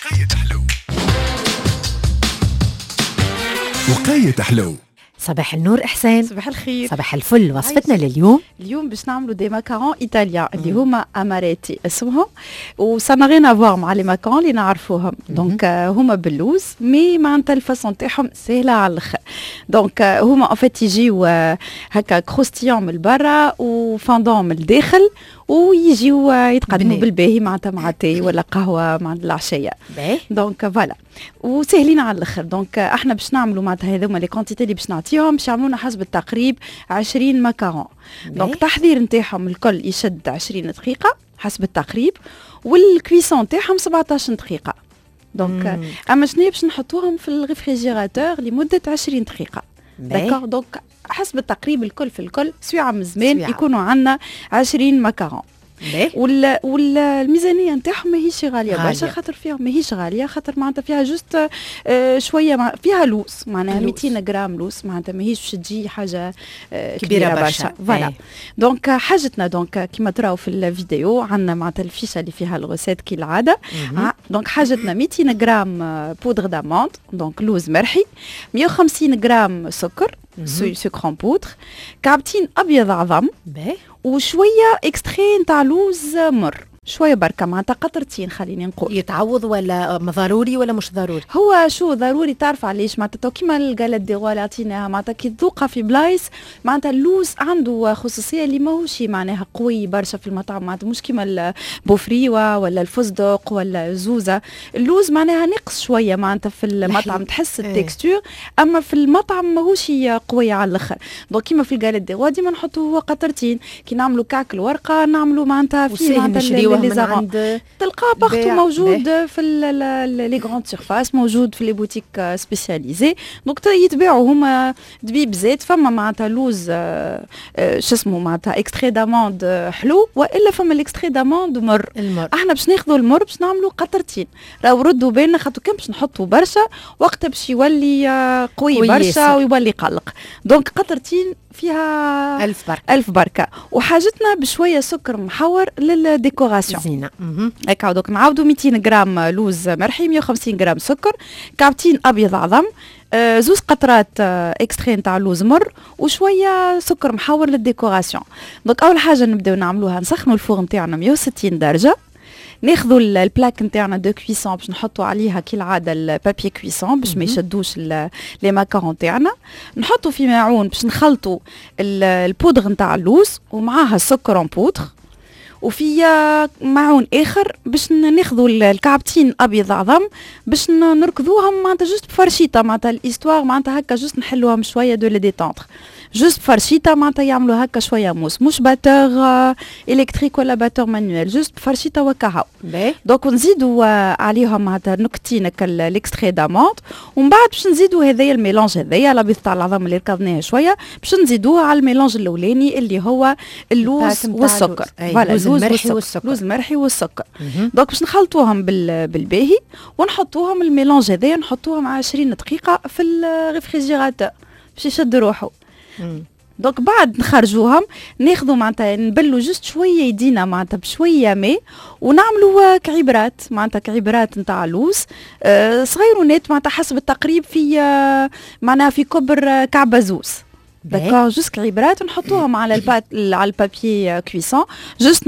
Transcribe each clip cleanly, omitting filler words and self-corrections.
وقيت حلو، وقيت حلو. صباح النور إحسان. صباح الخير. صباح الفل. وصفتنا لليوم؟ اليوم باش نعملوا des macarons italiens اللي هما amaretti اسمهم، و ça n'a rien à voir مع les macarons اللي نعرفوهم. donc هما باللوز، mais معناتها ال façon تاعهم سهلة على الاخر. donc هما en fait يجيو هكا croustillant من برا و fondant من الداخل، ويجيو يتقدموا بالباهي معناتها مع تاي ولا قهوة مع العشيه. donc voilà، وسهلين على الاخر. donc احنا باش نعملوا معناتها هذوما les quantités اللي باش نعطيهم باش يعملونا حسب التقريب 20 macarons. donc التحضير نتاعهم الكل يشد 20 دقيقة حسب التقريب، وال cuisson تاعهم 17 دقيقه. donc اما شنو باش نحطوهم في ال réfrigérateur لمدة 20 دقيقه. d'accord، donc حسب التقريب الكل في الكل سويعه من زمان يكونوا عندنا 20 macarons. والميزانيه نتاعهم ماهيش غالية برشا، خاطر فيها ماهيش غاليه، خاطر معناتها فيها juste شويه، فيها لوز معناها 200 غرام لوز، معناتها ماهيش باش تجي حاجة كبيرة برشا. voilà، donc حاجتنا، donc كيما تراو في الفيديو عندنا معناتها ال fiche اللي فيها ال recette كي العاده. donc حاجتنا 200 غرام poudre d'amande، donc لوز مرحي، 150 غرام سكر، sucre en poudre، كعبتين ابيض عظم، وشوية extrait نتاع لوز مر، شوية بركه، معناتها قطرتين خليني نقول. يتعوض ولا ضروري ولا مش ضروري؟ هو شو ضروري، تعرف علاش؟ معناتها كيما ال galette des rois اللي عطيناها، معناتها كي تذوقها في بلايص، معناتها اللوز عنده خصوصية اللي ماهوش معناها قوي برشا في المطعم، معناتها مش كيما البوفريوه ولا الفستق ولا الزوزه. اللوز معناها نقص شوية معناتها في المطعم تحس ال texture، اما في المطعم ماهوش قوي على الاخر. donc كيما في ال galette des rois ديما نحطوا قطرتين، كي نعملوا كعك الورقة نعملوا معناتها فيه معناتها من عند تلقاه partout، موجود في les grandes surfaces، موجود في les boutiques spécialisées. donc يتباعوا هما دبيب زيت، فما معناتها لوز شو اسمه معناتها extrait d'amande حلو، والا فما ال extrait d'amande مر. المر. احنا باش ناخذوا المر باش نعملوا قطرتين. راهو ردوا بالنا، خاطر كان باش نحطوا برشا وقتها باش يولي قوي برشا ويولي قلق. donc قطرتين فيها ألف بركة. ألف بركة. وحاجتنا بشوية سكر محور لل décoration. زينة. هكا، donc نعاودوا: 200 غرام لوز مرحي، 150 غرام سكر، كعبتين أبيض عظم، زوز قطرات extrait نتاع لوز مر، وشوية سكر محور لل décoration. donc اول حاجة نبداو نعملوها نسخنوا ال four نتاعنا 160 درجه، ناخذوا ال plaque نتاعنا de cuisson باش نحطوا عليها كالعادة ال papier cuisson باش ما يشدوش les macarons تاعنا. نحطوا في ماعون باش نخلطوا البودغ نتاع اللوز ومعاها السكر en poudre، وفي معون اخر باش ناخذوا الكعبتين ابيض عظم باش نركضوهم معناتها juste بفرشيطه، معناتها l'histoire معناتها هكا juste نحلوهم شوية de les détendre juste بفرشيطه، معناتها يعملوا هكا شوية موس، مش batteur électrique ولا batteur manuel، juste بفرشيطه وكهو. donc نزيدوا عليهم معناتها نكتين l'extrait d'amande، ومن بعد باش نزيدوا هذايا ال mélange هذايا الابيض تاع العظم اللي ركضناه شويه، باش نزيدوه على ال mélange الاولاني اللي هو اللوز والسكر. voilà، اللوز المرحي والسكر. اللوز المرحي والسكر. donc باش نخلطوهم بالباهي ونحطوهم ال mélange هذايا، نحطوهم 20 دقيقة في ال réfrigérateur باش يشد روحه. donc بعد نخرجوهم، ناخذوا معناتها نبلوا juste شوية يدينا معناتها بشوية ماء، ونعملوا كعبرات، معناتها كعبرات نتاع لوز صغيرونات، معناتها حسب التقريب في معناها في كبر كعبه زوز. d'accord، juste كعبرات نحطوهم على ال pâte، على ال papier cuisson، juste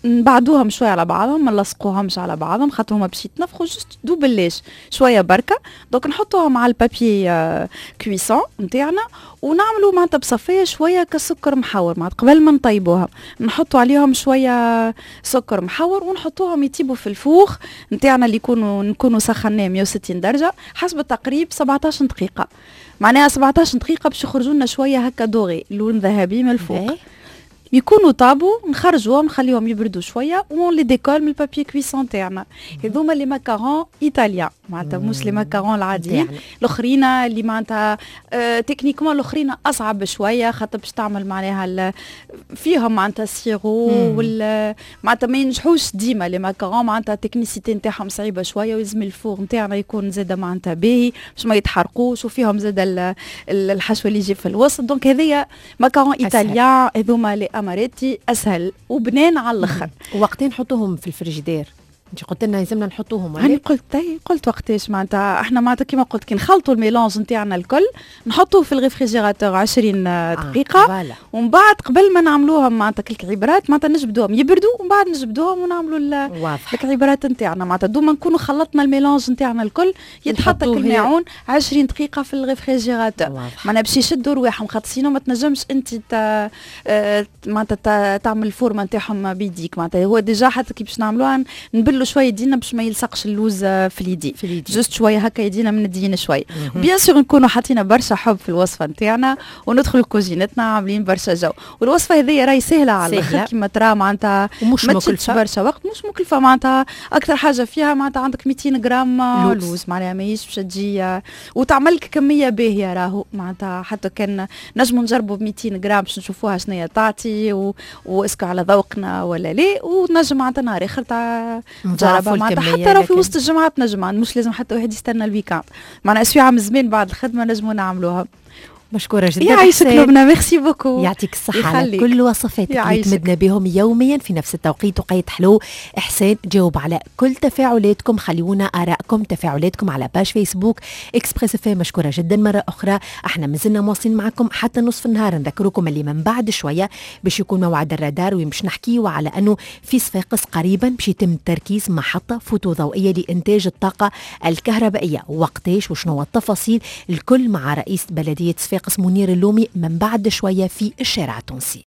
نبعدوهم شوية على بعضهم، ما نلصقوهمش على بعضهم خاطر هما باش يتنفخوا، juste دوب شوية بركه. donc نحطوهم على ال papier cuisson نتاعنا ونعملوا معناتها بصفيه شوية كسكر محور، معناتها قبل ما نطيبوها نحطوا عليهم شوية سكر محور ونحطوهم يطيبوا في ال four نتاعنا اللي نكونوا سخناه 160 درجه، حسب التقريب 17 دقيقه. معناها 17 دقيقة باش يخرجوا لنا شوية هكا doré، لون ذهبي من الفوق. يكونوا طابوا، نخرجوهم، نخليهم يبردوا شوية و on les décolle من ال papier cuisson تاعنا. هذوما les macarons italiens، معناتها مش les macarons العاديين الاخرين اللي معناتها techniquement الاخرين اصعب شويه، خاطر باش تعمل معناها فيهم معناتها ال sirop وال معناتها ما ينجحوش ديما les macarons، معناتها ال technicité نتاعهم صعيبة شويه، ويلزم ال four نتاعنا يكون زاده معناتها باهي باش ما يتحرقوش، وفيهم زاده الحشو اللي يجي في الوسط. donc هذيا macarons italiens، هذوما les amaretti، اسهل وبنان على الاخر. وقتين نحطوهم في الفريجيدير؟ انت قلت لنا لازمنا نحطوهم؟ هاني قلت، قلت وقتاش. معناتها احنا معناتها كيما قلت، كي نخلطوا ال mélange نتاعنا الكل نحطوه في ال réfrigérateur 20 دقيقه، voilà. ومن بعد قبل ما نعملوهم معناتها الكعيبرات، معناتها نجبدوهم يبردوا ومن بعد نجبدوهم ونعملوا الكعيبرات نتاعنا. معناتها دوما نكونوا خلطنا ال mélange نتاعنا الكل، يتحط الماعون 20 دقيقة في ال réfrigérateur، معناها باش يشدوا رواحهم، خاطر sinon ما تنجمش انت معناتها تعمل ال forme نتاعهم بيديك. معناتها هو déjà حتى كي باش نعملوها نبلوا شوية يدينا باش ما يلصقش اللوز في اليدين. في اليدين. juste شوية هكا يدينا من الدين شويه. bien sûr نكونوا حاطين برشا حب في الوصفة نتاعنا وندخلوا كوزينتنا عاملين برشا جو. والوصفه هذه راهي سهلة على الاخر كيما ترى، معناتها ومش ما تشدش برشا وقت، مش مكلفه. معناتها اكثر حاجة فيها معناتها عندك 200 غرام لوز، معناها ماهيش باش تجي وتعمل لك كمية باهيه راهو. معناتها حتى كان نجموا نجربوا ب 200 غرام باش نشوفوها شنو هي تعطي و est-ce que على ذوقنا ولا لا. ونجم معناتها نهار اخر تجربها، معناتها حتى لو في وسط الجمعة تنجم، مش لازم حتى واحد يستنى ال week-end، معناها سويعه من زمان بعد الخدمة نجموا نعملوها. مشكورة جدا. يعيشك لبنى، merci beaucoup. يعطيك الصحة على كل وصفاتك اللي تمدنا بهم يوميا في نفس التوقيت. وقيت حلو، إحسان جاوب على كل تفاعلاتكم. خليونا آرائكم، تفاعلاتكم على page Facebook Express FM. مشكورة جدا مرة أخرى. احنا مازلنا مواصلين معكم حتى نصف النهار. نذكركم اللي من بعد شوية باش يكون موعد الرادار، وين باش نحكيو على أنه في صفاقس قريبا باش يتم تركيز محطة فوتوضوئية لإنتاج الطاقة الكهربائية. وقتاش وشنو التفاصيل الكل مع رئيس بلدية صفاقس منير اللومي من بعد شوية في الشارع التونسي.